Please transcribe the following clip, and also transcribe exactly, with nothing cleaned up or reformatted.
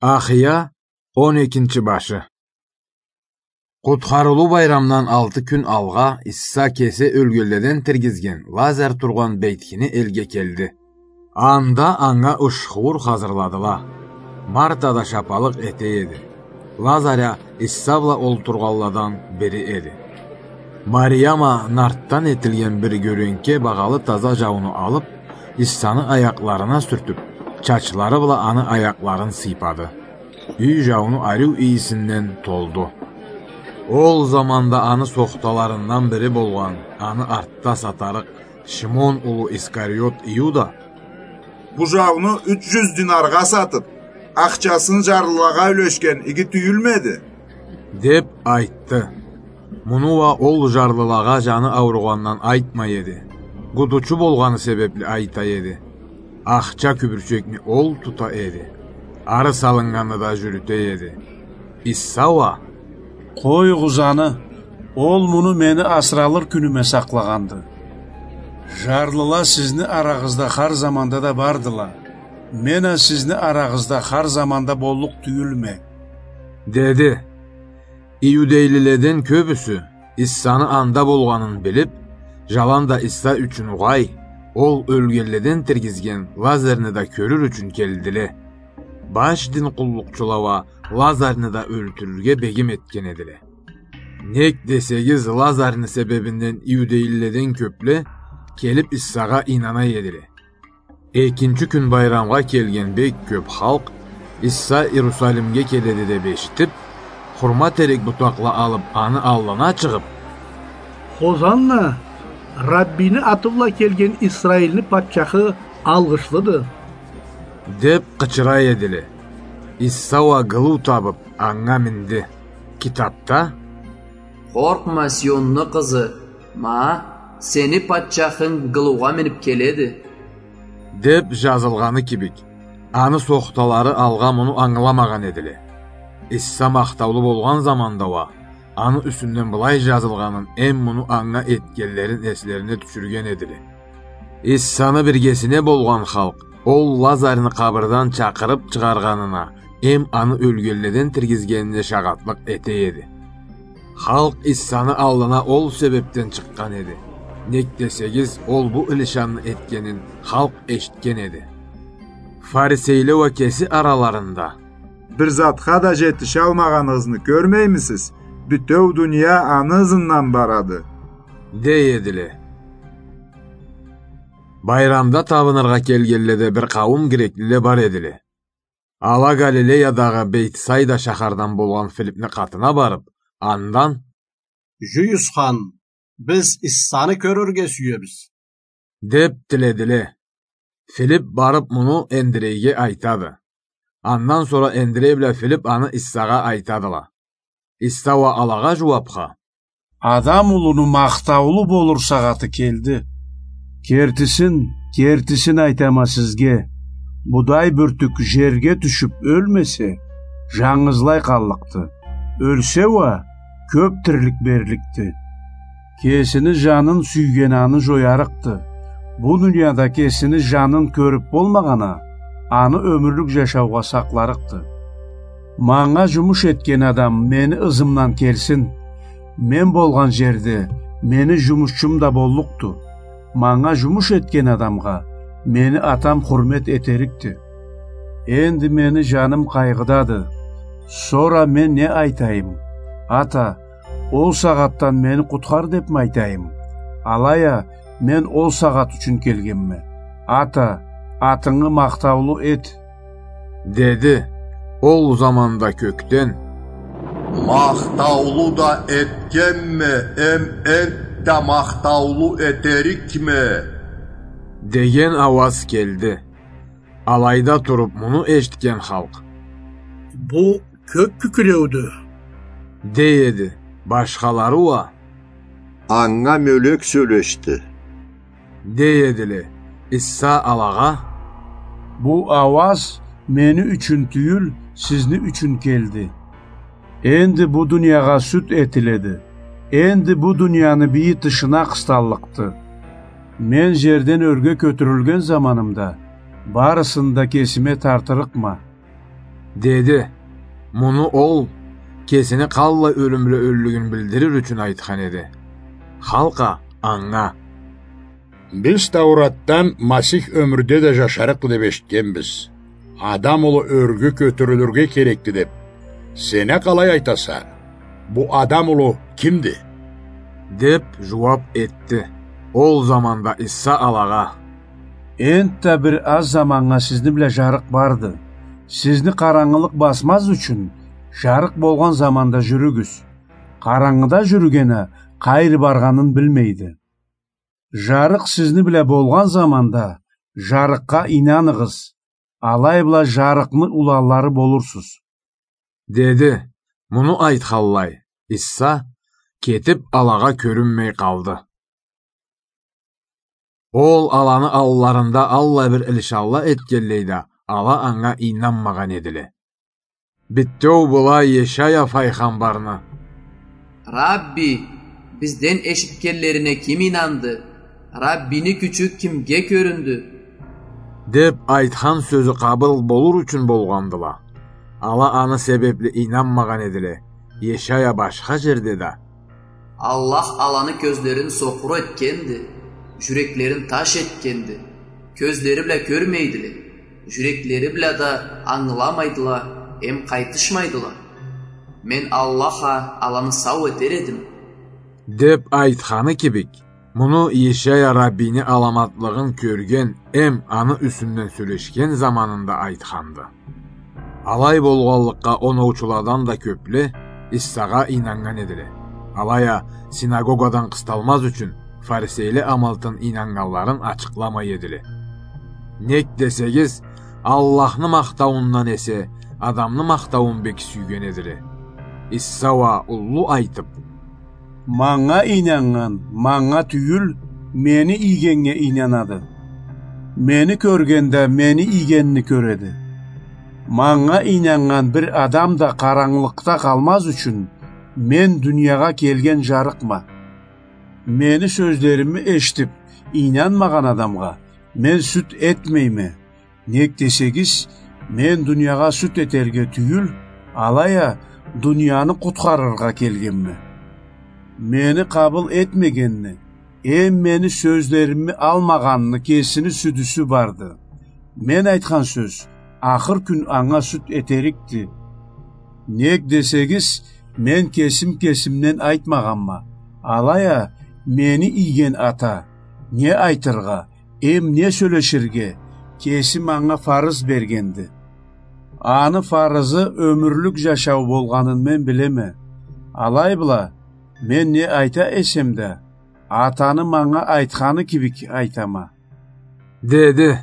Ахия, он экинчи башы. Къутхарылыу байрамдан алты кюн алгъа Иса кеси ёлгенледен тиргизген Лазарь тургъан бейтхини элге келди. Анда анга ушхуур хазырладыла. Марта да шапалыкъ эте эди. Лазарь а Иса бла олтургъанладан бири эди. Мариям а нартдан этилген бир гёренке багъалы таза жауну алып, Исаны аякъларына сюртюп, чачлары бла аны аякъларын сыйпады. Юй жауну ариу ийисинден толду. Ол заманда аны сохталарындан бири болгъан, аны артда сатарыкъ Шимон улу Искариот Иуда: «Бу жауну юч жюз динаргъа сатып, ахчасын жарлылагъа юлешген иги тюйюлмеди?» — деп айтды. Муну уа ол жарлылагъа жаны ауругъандан айтмай эди. Гудучу болгъаны себепли айта эди. Ахча кюбюрчекни ол тута эди. Ары салыннганны да жюрюте эди. Иса уа: «Къоюгъуз аны, ол муну мени асыралыр кюнюме сакълагъанды. Жарлыла сизни арагъызда хар заманда да бардыла. Мен а сизни арагъызда хар заманда боллукъ тюйюлме», — деди. Иудейлиледен кёбюсю, Исаны анда болгъанын билип, жаланда Иса ючюн угъай, ол ёлгенледен тиргизген Лазарьны да кёрюр ючюн келдиле. Баш дин къуллукъчула уа Лазарьны да ёлтюрюрге бегим этген эдиле. Нек десегиз, Лазарьны себебинден иудейлиледен кёпле келип Исагъа ийнана эдиле. Экинчи кюн байрамгъа келген бек кёп халкъ Иса Иерусалимге келеди деп эшитип, хурма терек бутакъла алып, аны аллына чыгъып: «Хозанна! Раббийни аты бла келген Исраильни патчахы алгъышлыды!» — деп къычыра эдиле. Иса уа гылыу табып, анга минди. Китапда: «Къоркъма, Сионну къызы, ма, сени патчахынг гылыугъа минип келеди» — деп жазылгъаны кибик, аны сохталары алгъа муну ангыламагъан эдиле. Иса махтаулу болгъан заманда уа аны юсюнден былай жазылгъанын эм муну анга этгенлерин эслерине тюшюрген эдиле. Исаны биргесине болгъан халкъ ол Лазарьны къабырдан чакъырып чыгъаргъанына эм аны ёлгенледен тиргизгенине шагъатлыкъ эте эди. Халкъ Исаны аллына ол себепден чыкъгъан эди. Нек десегиз, ол бу илишанны этгенин халкъ эшитген эди. Фарисейле уа кеси араларында: «Бир затха да жетишалмагъаныгъызны кёрмеймисиз? Бютеу дуния аны ызындан барады» — дей эдиле. Байрамда табыныргъа келгенледе бир къауум греклиле бар эдиле. Ала Галилеядагъы Бейтсайда шахардан болгъан Филипни къатына барып, андан: «Жюйюсхан, биз Иссаны кёрюрге сюебиз» — деп тиледиле. Филип барып муну Эндрейге айтады. Андан сора Эндрей бла Филип аны Иссагъа айтадыла. Исса уа алагъа жууапха: «Адам улуну махтаулу болур сагъаты келди. Кертисин, кертисин айтама сизге, будай бюртюк жерге тюшюп ёлмесе, жангызлай къаллыкъды. Ёлсе уа, кёп тирлик берликди. Кесини жанын сюйген аны жоярыкъды. Бу дунияда кесини жанын кёрюп болмагъан а, аны ёмюрлюк жашаугъа сакъларыкъды. Манга жумуш этген адам мени ызымдан келсин. Мен болгъан жерде мени жумушчум да боллукъду. Манга жумуш этген адамгъа мени Атам хурмет этерикди. Энди мени жаным къайгъыдады. Сора мен не айтайым? Ата, ол сагъатдан мени къутхар депми айтайым? Алай а, мен ол сагъат ючюн келгенме. Ата, атынгы махтаулу эт» — деди. Ол заманда кёкден: «Махтаулу да этгенме, эм энтда махтаулу этерикме» — деген ауаз келди. Алайда туруп муну эшитген халкъ: «Бу кёк кюкюреудю» — дей эди. Башхалары уа: «Анга мёлек сёлешди» — дей эдиле. Исса алагъа: «Бу ауаз мени ючюн тюйюл, сизни ючюн келди. Энди бу дуниягъа сюд этиледи. Энди бу дунияны бийи тышына къысталлыкъды. Мен жерден ёрге кётюрюлген заманымда барысын да кесиме тартырыкъма». Деди. Муну ол кесини къаллай ёлюмлю ёллюгюн билдирир ючюн айтхан эди. Халкъ а анга: «Биз Тауратдан Масих ёмюрде да жашарыкъды деп эшитгенбиз. Адам улу ёрге кётюрюлюрге керекди деп. Сен а къалай айтаса? Бу Адам улу кимди?» — деп жууап этди. Ол заманда Иса алагъа: «Энтда бир аз заманнга сизни бла жарыкъ барды. Сизни къарангылыкъ басмаз ючюн, жарыкъ болгъан заманда жюрюгюз. Къарангыда жюрюген а къайры баргъанын билмейди. Жарыкъ сизни бла болгъан заманда жарыкъгъа ийнаныгъыз, алай бла жарыкъны уланлары болурсуз», — деди. Муну айтханлай, Иса кетип, алагъа кёрюнмей къалды. Ол аланы алларында аллай бир илишанла этгенлей да, ала анга ийнанмагъан эдиле. Битеу была Ешая файгъамбарны: «Рабби, бизден эшитгенлерине ким ийнанды? Раббини кючю кимге кёрюндю?» — деп айтхан сёзю къабыл болур ючюн болгъандыла. Ала аны себепли ийнанмагъан эдиле. Ешая башха жерде да: «Аллах аланы кёзлерин сокъур этгенди, жюреклерин таш этгенди. Кёзлери бла кёрмейдиле, жюреклери бла да ангыламайдыла, эм къайтышмайдыла. Мен Аллах а аланы сау этер эдим», — деп айтханы кибик, муну Ешая Раббини аламатлыгъын кёрген эм аны юсюнден сёлешген заманында айтханды. Алай болгъанлыкъгъа, оноучуладан да кёпле Иссагъа ийнаннган эдиле. Алай а, синагогадан къысталмаз ючюн, фарисейле амалтын ийнаннганларын ачыкъламай эдиле. Нек десегиз, Аллахны махтауундан эсе, адамны махтауун бек сюйген эдиле. Исса уа уллу айтып: «Манга ийнаннган манга тюйюл, мени ийгеннге ийнанады. Мени кёрген да мени ийгенни кёреди. Манга ийнаннган бир адам да къарангылыкъда къалмаз ючюн, мен дуниягъа келген жарыкъма. Мени сёзлерими эшитип ийнанмагъан адамгъа мен сюд этмейме. Нек десегиз, мен дуниягъа сюд этерге тюйюл, алай а дунияны къутхарыргъа келгенме. Мени къабыл этмегенни эм мени сёзлерими алмагъанны кесини сюдюсю барды. Мен айтхан сёз ахыр кюн анга сюд этерикди. Нек десегиз, мен кесим кесимден айтмагъанма, алай а мени ийген Ата не айтыргъа эм не сёлеширге кеси манга фарыз бергенди. Аны фарызы ёмюрлюк жашау болгъанын мен билеме. Алай бла, мен не айта эсем да, Атаны манга айтханы кибик айтама», — деди.